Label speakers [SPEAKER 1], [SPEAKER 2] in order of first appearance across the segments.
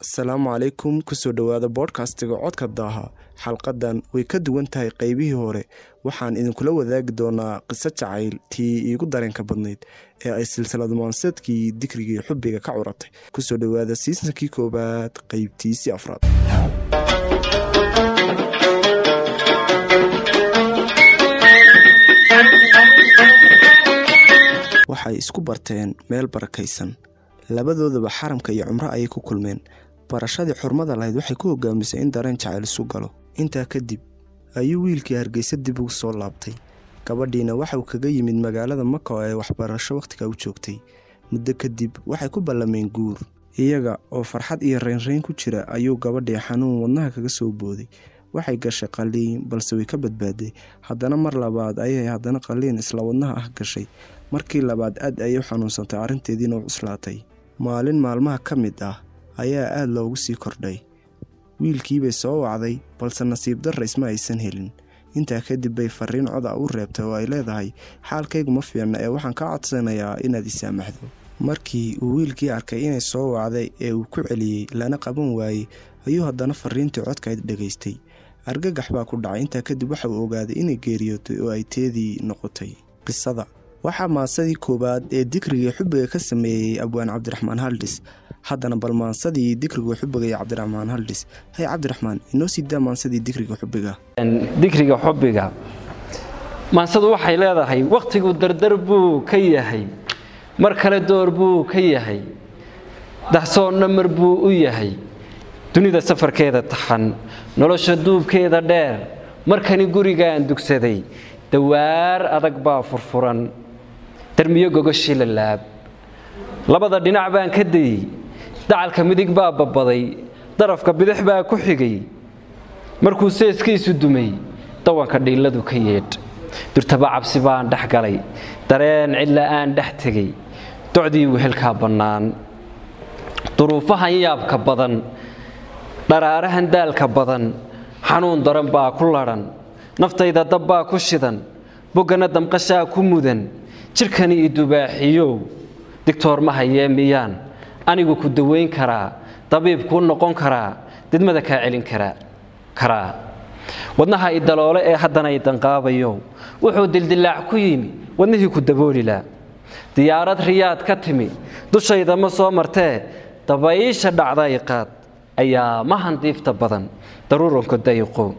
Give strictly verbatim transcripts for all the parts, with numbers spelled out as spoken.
[SPEAKER 1] Asalaamu calaykum, kusoo dhowaada bodkastiga Codka Daaha. Xalqadan way ka duwan tahay qaybihii hore. Waxaan idinkula wadaagi doonaa qiso jacayl tii iigu dareenka badnayd ee ay silsilad maanseedkii Dikrigii Xubbiga ka curatay. Kusoo dhowaada siisankii koowaad, qaybtiisii afraad. Waxay isku barteen meel barakaysan. Labadoodaba xaramka iyo cumro ayay ku kulmeen. Barashadii xurmada lahayd waxay ku hogaamisay in dareen jacayl isu galo. Intaa kadib ayuu wiilkii Hargeysa dib ugu soo laabtay. Gabadhiina waxauu kaga yimid magaalada Maka oo ay waxbarasho wakhtiga u joogtay. Muddo kadib waxay ku ballameen guur. Iyaga oo farxad iyo reynreyn ku jira ayuu gabadhii xanuun wadnaha kaga soo booday. Waxay gashay qalliin, balse way ka badbaaday. Haddana mar labaad ayay haddana qalliin isla wadnaha ah gashay. Markii labaad aad ayay u xanuunsantay, arrinteediina u cuslaatay. Maalin maalmaha ka mid ah ayaa aada loogu sii kordhay. Wiilkiibay soo wacday, balse nasiib darra isma aysan helin. Intaa kadib bay fariin coda u reebtay oo ay leedahay: xaalkaygu ma fiicna ee waxaan kaa codsanayaa inaad isaamaxdo. Markii uu wiilkii arkay inay soo wacday ee uu ku celiyey lana qaban waayey, ayuu haddana fariintii codkayd dhegaystay. Argagax baa ku dhacay. Intaa kadib waxa uu ogaaday inay geeriyootay oo ay teedii noqotay. Qisada waxaa maansadii koowaad ee Dikrigii Xubbiga ka sameeyey abwaan Cabdiraxmaan Haldhis. Haddana bal maansadii Dikriga Xubbiga iyo Cabdiraxmaan Haldhis. Hay Cabdiraxmaan, inoo sii daa maansadii Dikriga Xubbiga.
[SPEAKER 2] Dikriga Xubbiga maansadu waxay leedahay: wakhtigu dardar buu ka yahay, mar kale door buu ka yahay, dahsoonna mar buu u yahay. Dunida safarkeeda taxan, nolosha duubkeeda dheer, markani gurigaan dugsaday dawaar adag baa furfuran, darmiyo gogoshii la laab. Labada dhinac baan ka dayey, dacalka midig baa babbaday, darafka bidix baa ku xigay. Markuu seeskiisu dumay, dawanka dhiilladu ka yeedh. Durtaba cabsi baan dhex galay, dareen cidla aan dhex tegey, docdii wehelkaa bannaan. Duruufahan yaabka badan, dharaarahan daalka badan, xanuun daran baa ku ladhan, naftayda dab baa ku shidan, boggana damqashaa ku mudan. Jidhkani i dubaaxiyow, digtoor ma hayee miyaan anigu ku dawayn karaa, dabiib kuu noqon karaa, didmada kaa celin karaa karaa Wadnaha i daloole ee haddana i danqaabayow, wuxuu dildilaac ku yimi wadnihii ku daboolilaa. Diyaarad Riyaad ka timi dushayda ma soo martee, dabaysha dhacday qaad ayaa mahan diifta badan, daruuranka dayiqo.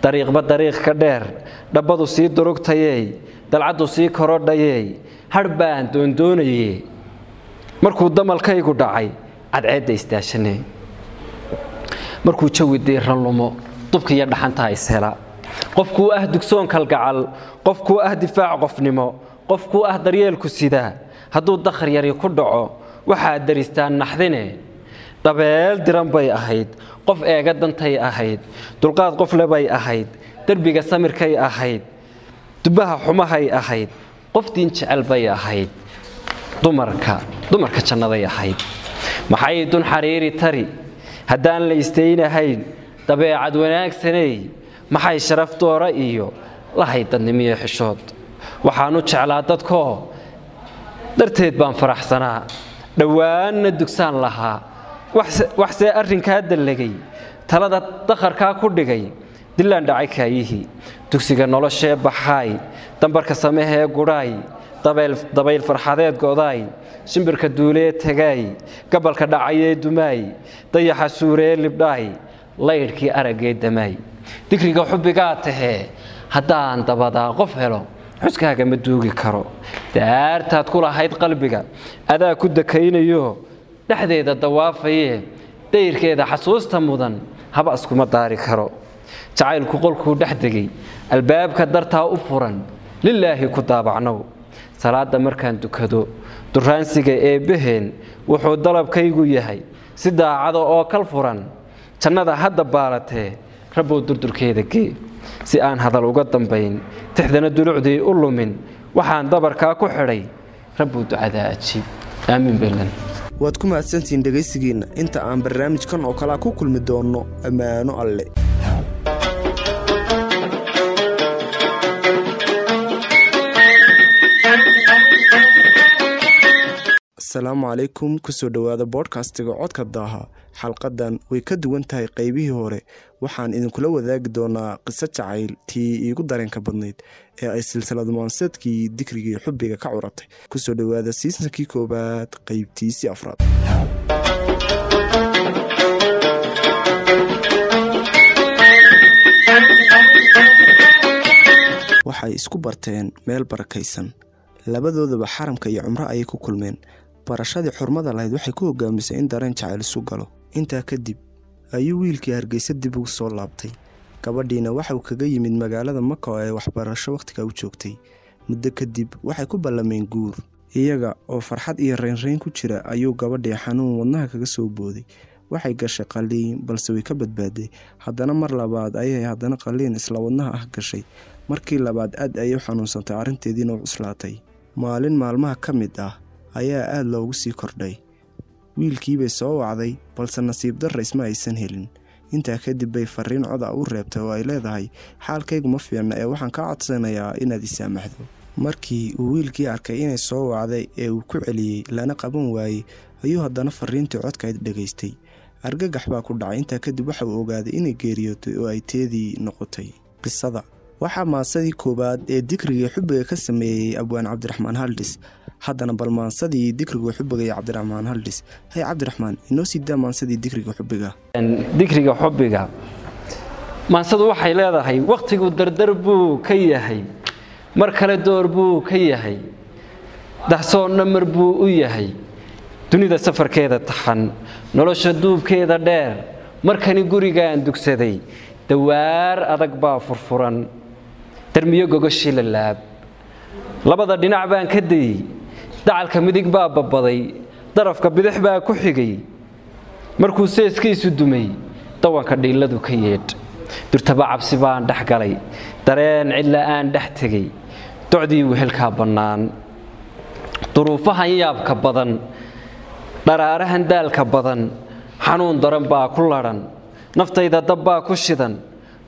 [SPEAKER 2] Dariiqba dariiq ka dheer, dhabbadu sii durugtayey, dalcaddu sii korodhayey, hadh baan doondoonaye. Markuu damalkaygu dhacay cadceedda isdaashanee, markuu jawi diiran lumo, dubka iyo dhaxantaa ishela. Qofkuu ah dugsoon kalgacal, qofkuu ah difaac qofnimo, qofkuu ah daryeelku sidaa, hadduu dakhar yari ku dhaco waxaad daristaan naxdine. Dabeel diran bay ahayd, qof eega dantay ahayd, dulqaad qofle bay ahayd, derbiga samirkay ahayd, dubaha xumahay ahayd, qof diin jecel bay ahayd, dumarka dumarka jannaday ahayd. Maxay dun xariiri tari haddaan la istaynahayn? Dabeecad wanaagsaney, maxay sharaf doora iyo lahayd dadnimiyo xishood? Waxaanu jeclaa dadkoo darteed baan faraxsanaa, dhowaanna dugsaan lahaa. Waxsee arrinkaa dallagay, talada dakharkaa ku dhigay, dilaan dhacay kaayihii. Dugsiga noloshee baxaay, dambarka samehee gudhaay, dabayl farxadeed godaay, shimbirka duulee tagaay, gabalka dhacayee dumaay, dayaxa suuree libdhaay, laydhkii araggee damaay. Dikriga xubbigaa tahee, haddaan dabadaa qof helo xuskaaga ma duugi karo. Daartaad ku lahayd qalbiga adaa ku dakaynayo, dhexdeeda dawaafayee, dayrkeeda xasuusta mudan haba iskuma daari karo. Jacaylku qolkuu dhex degay, albaabka dartaa u furan, lilaahi ku daabacnow. Salaadda markaan dukado duraansiga eebbaheen, wuxuu dalabkaygu yahay si daacada oo kal furan, jannada hadda baalatee rabbow durdurkeeda gee. Si aan hadal uga dambayn, tixdana dulucdii u lumin, waxaan dabarkaa ku xidhay: rabbow ducadaa ajiib, aamiin belan.
[SPEAKER 1] Waad ku mahadsantihiin dhegaysigiinna. Inta aan barnaamijkan oo kalea ku kulmi doonno, ammaano alle. Asalaamu calaykum, kusoo dhowaada bodkastiga Codka Daaha. Xalqadan way ka duwan tahay qaybihii hore. Waxaan idinkula wadaagi doonaa qiso jacayl tii iigu dareenka badnayd ee ay silsilad maanseedkii Dikrigii Xubbiga ka curatay. Kusoo dhowaada siisankii koowaad, qaybtiisii afraad. Waxay isku barteen meel barakaysan. Labadoodaba xaramka iyo cumro ayay ku kulmeen. Barashadii xurmada lahayd waxay ku hogaamisay in dareen jacayl isu galo. Intaa kadib ayuu wiilkii Hargeysa dib ugu soo laabtay. Gabadhiina waxauu kaga yimid magaalada Maka oo ay waxbarasho wakhtiga u joogtay. Muddo kadib waxay ku ballameen guur. Iyaga oo farxad iyo reynreyn ku jira ayuu gabadhii xanuun wadnaha kaga soo booday. Waxay gashay qalliin, balse way ka badbaaday. Haddana mar labaad ayay haddana qalliin isla wadnaha ah gashay. Markii labaad aad ayay u xanuunsantay, arrinteediina u cuslaatay. Maalin maalmaha ka mid ah ayaa aada loogu sii kordhay. Wiilkiibay soo wacday, balse nasiib darra isma aysan helin. Intaa kadib bay fariin coda u reebtay oo ay leedahay: xaalkaygu ma fiicna ee waxaan kaa codsanayaa inaad i saamaxdo. Markii uu wiilkii arkay inay soo wacday ee uu ku celiyey lana qaban waayey, ayuu haddana fariintii codkayd dhegaystay. Argagax baa ku dhacay. Intaa kadib waxa uu ogaaday inay geeriyootay oo ay teedii noqotay. Qisada waxaa maansadii koowaad ee Dikrigii Xubbiga ka sameeyey abwaan Cabdiraxmaan Haldhis. Haddana bal maansadii Dikriga Xubbiga iyo Cabdiraxmaan Haldhis. Hay Cabdiraxmaan, inoo sii daa maansadii Dikriga Xubbiga.
[SPEAKER 2] Dikriga Xubbiga, maansadu waxay leedahay: wakhtigu dardar buu ka yahay, mar kale door buu ka yahay, dahsoonna mar buu u yahay. Dunida safarkeeda taxan, nolosha duubkeeda dheer, markani gurigaan dugsaday dawaar adag baa furfuran, darmiyo gogoshii la laab. Labada dhinac baan ka dayey, dacalka midig baa babbaday, darafka bidix baa ku xigay. Markuu seeskiisu dumay, dawanka dhiilladu ka yeedh. Durtaba cabsi baan dhex galay, dareen cidla aan dhex tegey, docdii wehelkaa bannaan. Duruufahan yaabka badan, dharaarahan daalka badan, xanuun daran baa ku ladhan, naftayda dab baa ku shidan,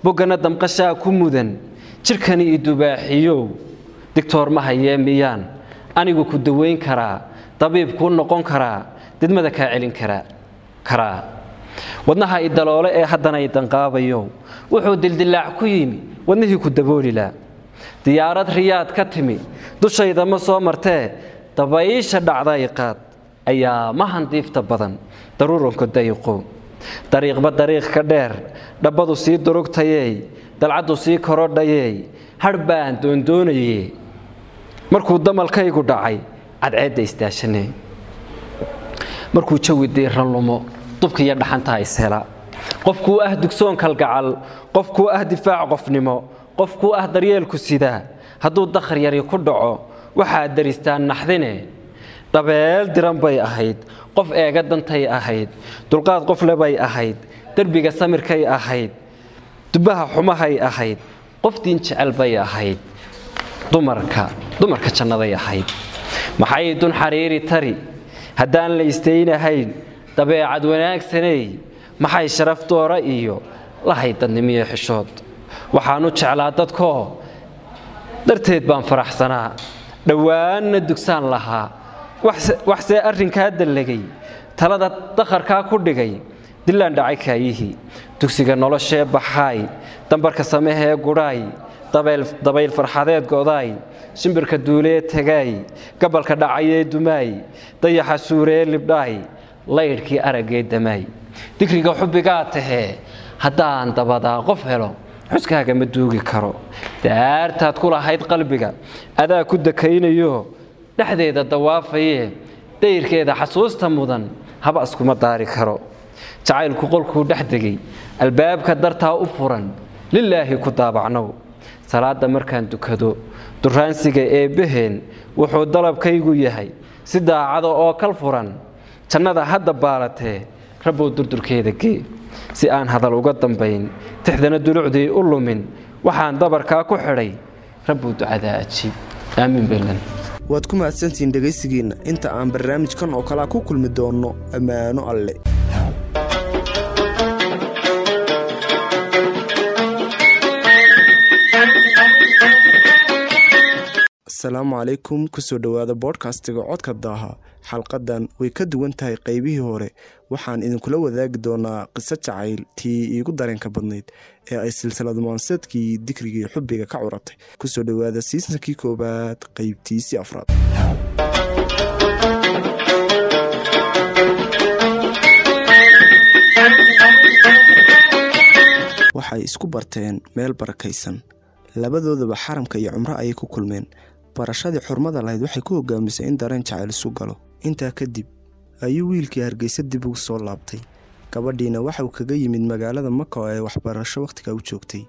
[SPEAKER 2] boggana damqashaa ku mudan. Jidhkani i dubaaxiyow, digtoor ma hayee miyaan anigu ku dawayn karaa, dabiib kuu noqon karaa, didmada kaa celin karaa karaa Wadnaha i daloole ee haddana i danqaabayow, wuxuu dildilaac ku yimi wadnihii ku daboolilaa. Diyaarad Riyaad ka timi dushayda ma soo martee, dabaysha dhacda i qaad ayaa mahan diifta badan daruuranka dayiqo. Dariiqba dariiq ka dheer, dhabbadu sii durugtayey, dalcaddu sii korodhayey, hadh baan doondoonaye. Markuu damalkaygu dhacay cadceedda istaashanee, markuu jawi diiran lumo, dubka iyo dhaxantaa ishela. Qofkuu ah dugsoon kalgacal, qofkuu ah difaac qofnimo, qofkuu ah daryeelku sidaa, hadduu dakhar yari ku dhaco waxaad daristaan naxdine. Dabeel diran bay ahayd, qof eega dantay ahayd, dulqaad qofle bay ahayd, derbiga samirkay ahayd, dubaha xumahay ahayd, qof diin jecel bay ahayd, dumarka dumarka jannaday ahayd. Maxay dun xariiri tari haddaan la istaynahayn? Dabeecad wanaagsaney maxay sharaf doora iyo lahayd dadnimiyo xishood? Waxaanu jeclaa dadkoo darteed baan faraxsanaa, dhowaanna dugsaan lahaa. Waxsee arrinkaa dallagay, talada dakharkaa ku dhigay, dilaan dhacay kaayihii. Dugsiga noloshee baxaay, dambarka samehee gudhaay, dabayl farxadeed godaay, shimbirka duulee tagaay, gabalka dhacayee dumaay, dayaxa suuree libdhaay, laydhkii araggee damaay. Dikriga xubbigaa tahee haddaan dabadaa qof helo, xuskaaga ma duugi karo. Daartaad ku lahayd qalbiga adaa ku dakaynayo, dhexdeeda dawaafayee, dayrkeeda xasuusta mudan haba iskuma daari karo. Jacaylku qolkuu dhex degay, albaabka dartaa u furan, lilaahi ku daabacnow. Salaadda markaan dukado duraansiga eebbaheen, wuxuu dalabkaygu yahay si daacada oo kal furan. Jannada hadda baalatee, rabbow durdurkeeda gee. Si aan hadal uga dambayn, tixdana dulucdii u lumin, waxaan dabarkaa ku xidhay: rabbow ducadaa ajiib, aamiin baylan.
[SPEAKER 1] Waad ku mahadsantihiin dhegaysigiinna. Inta aan barnaamijkan oo kalea ku kulmi doonno, ammaano alle. Assalaamu calaykum, kusoo dhowaada bodkastiga Codka Daaha. Xalqadan way ka duwan tahay qaybihii hore. Waxaan idinkula wadaagi doonaa qiso jacayl tii iigu dareenka badnayd ee ay silsilad maanseedkii Dikrigii Xubbiga ka curatay. Kusoo dhowaada siisankii koowaad qaybtiisii afraad. Waxay isku barteen meel barakaysan. Labadoodaba xaramka iyo cumro ayay ku kulmeen. Barashadii xurmada lahayd waxay ku hogaamisay in dareen jacayl isu galo. Intaa kadib ayuu wiilkii Hargeysa dib ugu soo laabtay. Gabadhiina waxauu kaga yimid magaalada Maka oo ay waxbarasho wakhtiga u joogtay.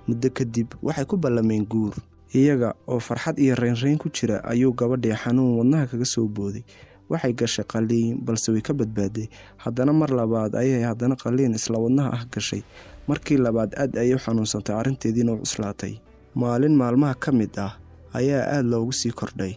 [SPEAKER 1] Muddo kadib waxay ku ballameen guur. Iyaga oo farxad iyo reynreyn ku jira ayuu gabadhii xanuun wadnaha kaga soo booday. Waxay gashay qalliin, balse way ka badbaaday. Haddana mar labaad ayay haddana qalliin isla wadnaha ah gashay. Markii labaad aad ayay u xanuunsantay, arrinteediina u cuslaatay. Maalin maalmaha ka mid ah ayaa aad loogu sii kordhay.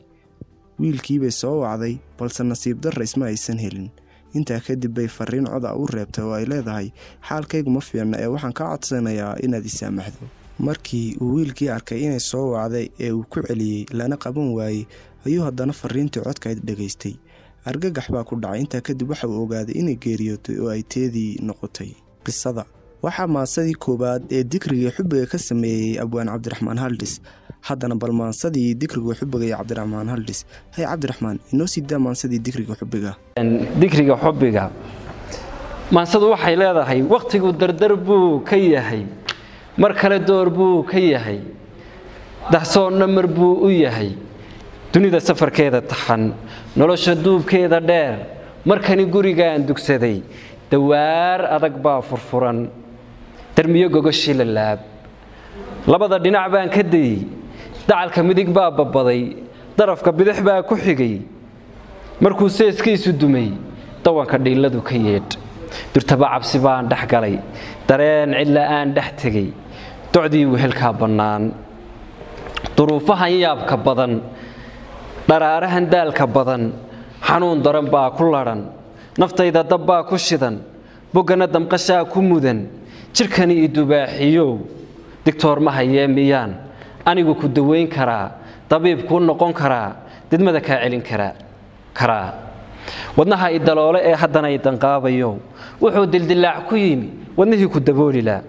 [SPEAKER 1] Wiilkiibay soo wacday, balse nasiib darra isma aysan helin. Intaa kadib bay fariin cod ah u reebtay oo ay leedahay: xaalkaygu ma fiicna ee waxaan kaa codsanayaa inaad i saamaxdo. Markii uu wiilkii arkay inay soo wacday ee uu ku celiyey lana qaban waayey, ayuu haddana fariintii codkayd dhegaystay. Argagax baa ku dhacay. Intaa kadib waxa uu ogaaday inay geeriyootay oo ay teedii noqotay. Qisada waxaa maansadii koowaad ee Dikrigii Xubbiga ka sameeyey abwaan Cabdiraxmaan Haldhis. Haddana bal maansadii Dikriga Xubbiga iyo Cabdiraxmaan Haldhis. Hay Cabdiraxmaan, inoo sii daa maansadii Dikriga Xubbiga.
[SPEAKER 2] Dikriga Xubbiga maansadu waxay leedahay: wakhtigu dardar buu ka yahay, mar kale door buu ka yahay, dahsoonna mar buu u yahay, dunida safarkeeda taxan, nolosha duubkeeda dheer. Markani gurigaan dugsaday dawaar adag baa furfuran, darmiyo gogoshii la laab, labada dhinac baan ka dayey, dacalka midig baa babbaday, darafka bidix baa ku xigay. Markuu seeskiisu dumay dawanka dhiilladu ka yeedh, durtaba cabsi baan dhex galay, dareen cidla'aan dhex tegey, docdii wehelkaa bannaan. Duruufahan yaabka badan, dharaarahan daalka badan, xanuun daran baa ku ladhan, naftayda dab baa ku shidan, boggana damqashaa ku mudan, jidhkani i dubaaxiyow, digtoor ma hayee miyaan anigu ku dawayn karaa, dabiib kuu noqon karaa, didmada kaa celin karaa karaa wadnaha i daloole ee haddana i danqaabayo, wuxuu dildilaac ku yimi wadnihii ku daboolilaa.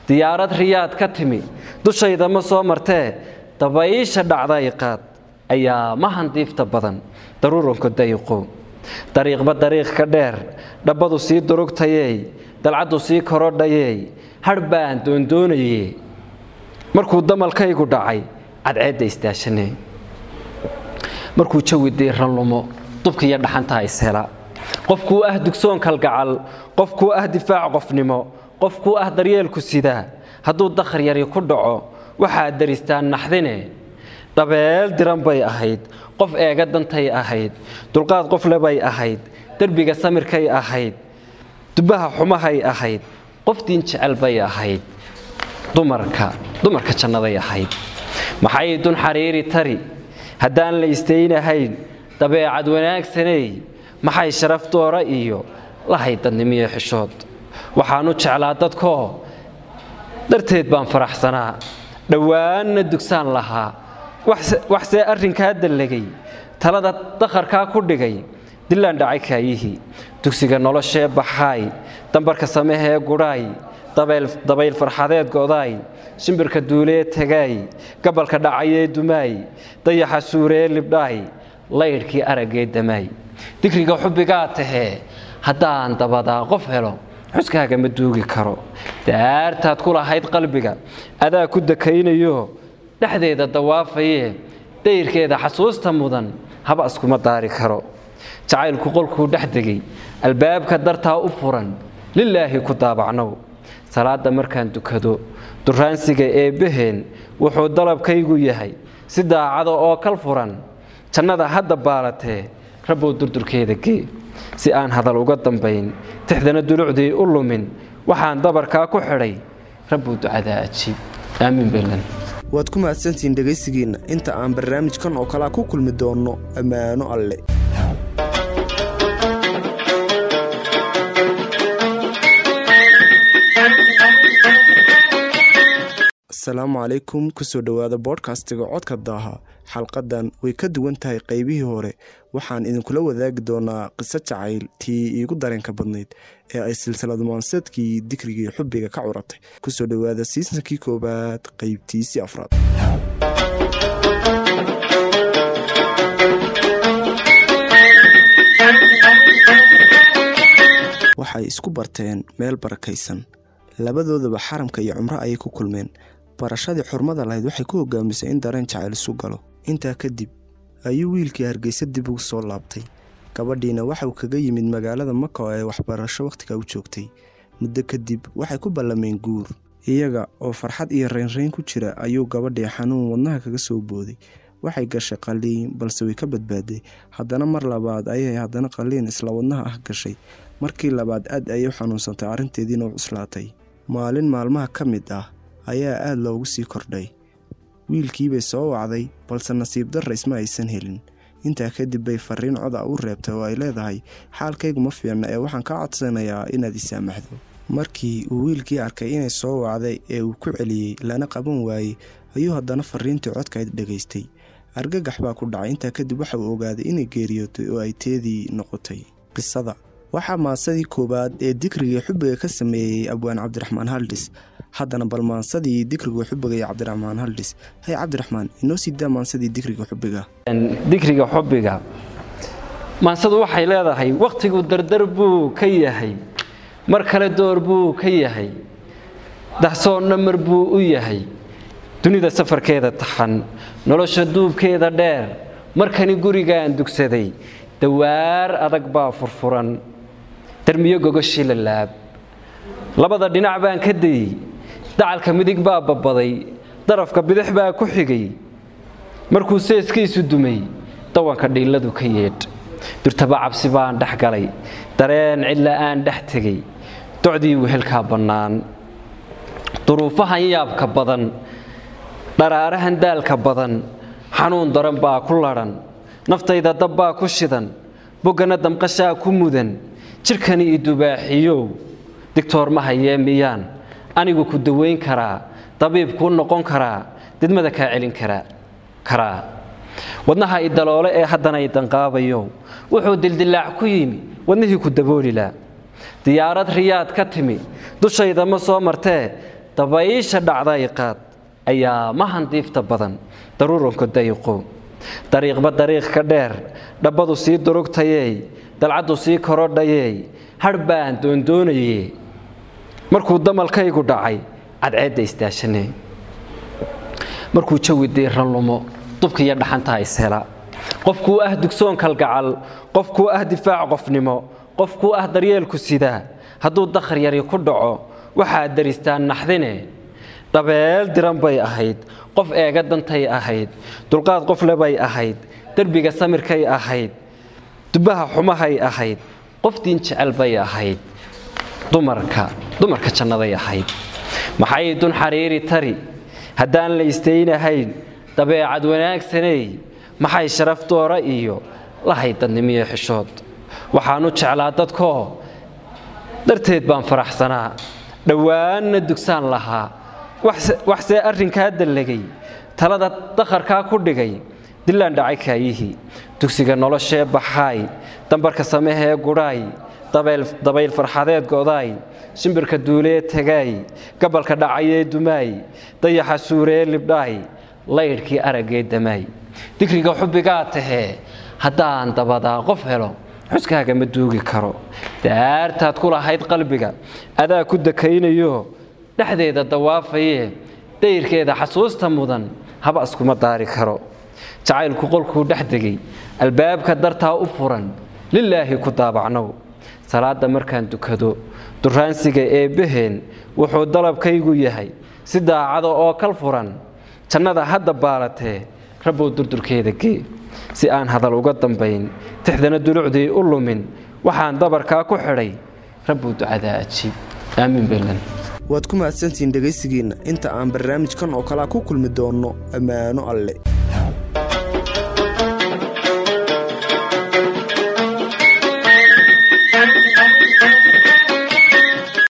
[SPEAKER 2] Diyaarad Riyaad ka timi dushayda ma soo martee, dabaysha dhacday qaad ayaa mahan diifta badan, daruuranka dayiqo, dariiqba dariiq ka dheer, dhabbadu sii durugtayey, dalcaddu sii korodhayey, hadh baan doondoonaye. Markuu damalkaygu dhacay cadceedda istaashanee, markuu jawi diiran lumo, dubka iyo dhaxantaa ishela, qofkuu ah dugsoon kalgacal, qofkuu ah difaac qofnimo, qofkuu ah daryeelku sidaa, hadduu dakhar yari ku dhaco waxaad daristaan naxdine. Dabeel diran bay ahayd, qof eega dantay ahayd, dulqaad qofle bay ahayd, derbiga samirkay ahayd, dubbaha xumahay ahayd, qof diin jecel bay ahayd, dumarka dumarka jannaday ahayd. Maxay dun xariiri tari haddaan la istaynahayn, dabeecad wanaagsaney maxay sharaf doora iyo lahayd dadnimiyo xishood. Waxaanu jeclaa dadkoo darteed baan faraxsanaa, dhowaanna dugsaan lahaa, waxsee arrinkaa dallagay, talada dakharkaa ku dhigay, dilaan dhacay kaayihii. Dugsiga noloshee baxaay, dambarka samehee gudhaay, dabayl farxadeed godaay, shimbirka duulee tagaay, gabalka dhacayee dumaay, dayaxa suuree libdhaay, laydhkii araggee damaay. Dikriga xubbigaa tahee haddaan dabadaa qof helo, xuskaaga ma duugi karo. Daartaad ku lahayd qalbiga adaa ku dakaynayo, dhexdeeda dawaafayee, dayrkeeda xasuusta mudan haba iskuma daari karo. Jacaylku qolkuu dhex degay albaabka dartaa u furan, lilaahi ku daabacnow. Salaadda markaan dukado duraansiga eebbaheen wuxuu dalabkaygu yahay si daacada oo kal furan, jannada hadda baalatee rabbow durdurkeeda gee. Si aan hadal uga dambayn, tixdana dulucdii u lumin, waxaan dabarkaa ku xidhay rabbow ducadaa ajiib. Aamiin baylan.
[SPEAKER 1] Waad ku mahadsantihiin dhegaysigiinna. Inta aan barnaamijkan oo kalea ku kulmi doonno, ammaano alle. Asalaamu calaykum, kusoo dhowaada bodkastiga Codka Daaha. Xalqadan way ka duwan tahay qaybihii hore. Waxaan idinkula wadaagi doonaa qiso jacayl tii iigu dareenka badnayd ee ay silsilad maanseedkii Dikrigii Xubbiga ka curatay. Kusoo dhowaada siisankii koowaad qaybtiisii afraad. Waxay isku barteen meel barakaysan. Labadoodaba xaramka iyo cumro ayay ku kulmeen. Barashadii xurmada lahayd waxay ku hogaamisay in dareen jacayl isu galo. Intaa kadib ayuu wiilkii Hargeysa dib ugu soo laabtay. Gabadhiina waxa uu kaga yimid magaalada Maka oo ay waxbarasho wakhtiga u joogtay. Muddo kadib waxay ku ballameen guur. Iyaga oo farxad iyo reynreyn ku jira ayuu gabadhii xanuun wadnaha kaga soo booday. Waxay gashay qalliin, balse way ka badbaaday. Haddana mar labaad ayay haddana qalliin isla wadnaha ah gashay. Markii labaad aad ayay u xanuunsantay, arrinteediina u cuslaatay. Maalin maalmaha ka mid ah ayaa aad loogu sii kordhay. Wiilkiibay soo wacday, balse nasiib darra isma aysan helin. Intaa kadib bay fariin cod ah u reebtay oo ay leedahay: xaalkaygu ma fiicna ee waxaan kaa codsanayaa inaad i saamaxdo. Markii uu wiilkii arkay inay soo wacday ee uu ku celiyey lana qaban waayey, ayuu haddana fariintii codkayd dhegaystay. Argagax baa ku dhacay. Intaa kadib waxa uu ogaaday inay geeriyootay oo ay teedii noqotay. Qisada waxaa maansadii koowaad ee Dikrigii Xubbiga ka sameeyey abwaan Cabdiraxmaan Haldhis. Haddana bal maansadii Dikriga Xubbiga iyo Cabdiraxmaan Haldhis. Hay Cabdiraxmaan, inoo sii daa maansadii Dikriga Xubbiga.
[SPEAKER 2] Dikriga Xubbiga maansadu waxay leedahay: wakhtigu dardar buu ka yahay, mar kale door buu ka yahay, dahsoonna mar buu u yahay. Dunida safarkeeda taxan, nolosha duubkeeda dheer, markani gurigaan dugsaday dawaar adag baa furfuran, darmiyo gogoshii la laab. Labada dhinac baan ka dayey, dacalka midig baa babbaday, darafka bidix baa ku xigay. Markuu seeskiisu dumay, dawanka dhiilladu ka yeedh. Durtaba cabsi baan dhex galay, dareen cidla aan dhex tegey, docdii wehelkaa bannaan. Duruufahan yaabka badan, dharaarahan daalka badan, xanuun daran baa ku ladhan, naftayda dab baa ku shidan, boggana damqashaa ku mudan. Jidhkani i dubaaxiyow, digtoor ma hayee miyaan anigu ku daweyn karaa, dabiib kuu noqon karaa, didmada kaa celin karaa karaa. Wadnaha i daloole ee haddana i danqaabayo, wuxuu dildilaac ku yimi wadnihii ku daboolilaa. Diyaarad Riyaad ka timi dushayda ma soo martee, dabaysha dhacda i qaad ayaa mahan diifta badan, daruuranka dayiqo. Dariiqba dariiq ka dheer, dhabbadu sii durugtayey, dalcaddu sii korodhayey, hadh baan doondoonayey. Markuu damalkaygu dhacay, cadceedda istaashanay. Markuu jawi diiran lumo, dubka iyo dhaxantaa ishela. Qofkuu ah dugsoon kalgacal, qofkuu ah difaac qofnimo, qofkuu ah daryeelku sidaa, hadduu dakhar yari ku dhaco, waxaad daristaan naxdine. Dabeel diran bay ahayd, qof eega dantay ahayd, dulqaad qof le bay ahayd, derbiga samirkay ahayd, dubaha xumahay ahayd, qof diin jecel bay ahayd, dumarka dumarka jannaday ahayd. Maxay dun xariiri tari haddaan la istaynahayn, dabeecad wanaagsaney, maxay sharaf doora iyo lahayd dadnimiyo xishood. Waxaanu jeclaa dadkoo darteed baan faraxsanaa, dhowaanna dugsaan lahaa. Waxsee arrinkaa dallagay, talada dakharkaa ku dhigay, dilaan dhacay kaayihii. Dugsiga noloshee baxaay, dambarka samehee gudhaay, dabayl farxadeed godaay, shimbirka duulee tagaay, gabalka dhacayee dumaay, dayaxa suuree libdhaay, laydhkii araggee damaay. Dikriga xubbigaa tahee haddaan dabadaa qof helo, xuskaaga ma duugi karo. Daartaad ku lahayd qalbiga adaa ku dakaynayo, dhexdeeda dawaafayee, dayrkeeda xasuusta mudan haba iskuma daari karo. Jacaylku qolkuu dhex degay, albaabka dartaa u furan, lilaahi ku daabacnow. Salaadda markaan dukado, duraansiga eebbaheen wuxuu dalabkaygu yahay si daacada oo kal furan. Jannada hadda baalatee, rabbow durdurkeeda gee. Si aan hadal uga dambayn, tixdana dulucdii u lumin, waxaan dabarkaa ku xidhay, rabbow ducadaa ajiib. Aamiin baylan.
[SPEAKER 1] Waad ku mahadsantihiin dhegaysigiinna. Inta aan barnaamijkan oo kalea ku kulmi doonno, ammaano alle.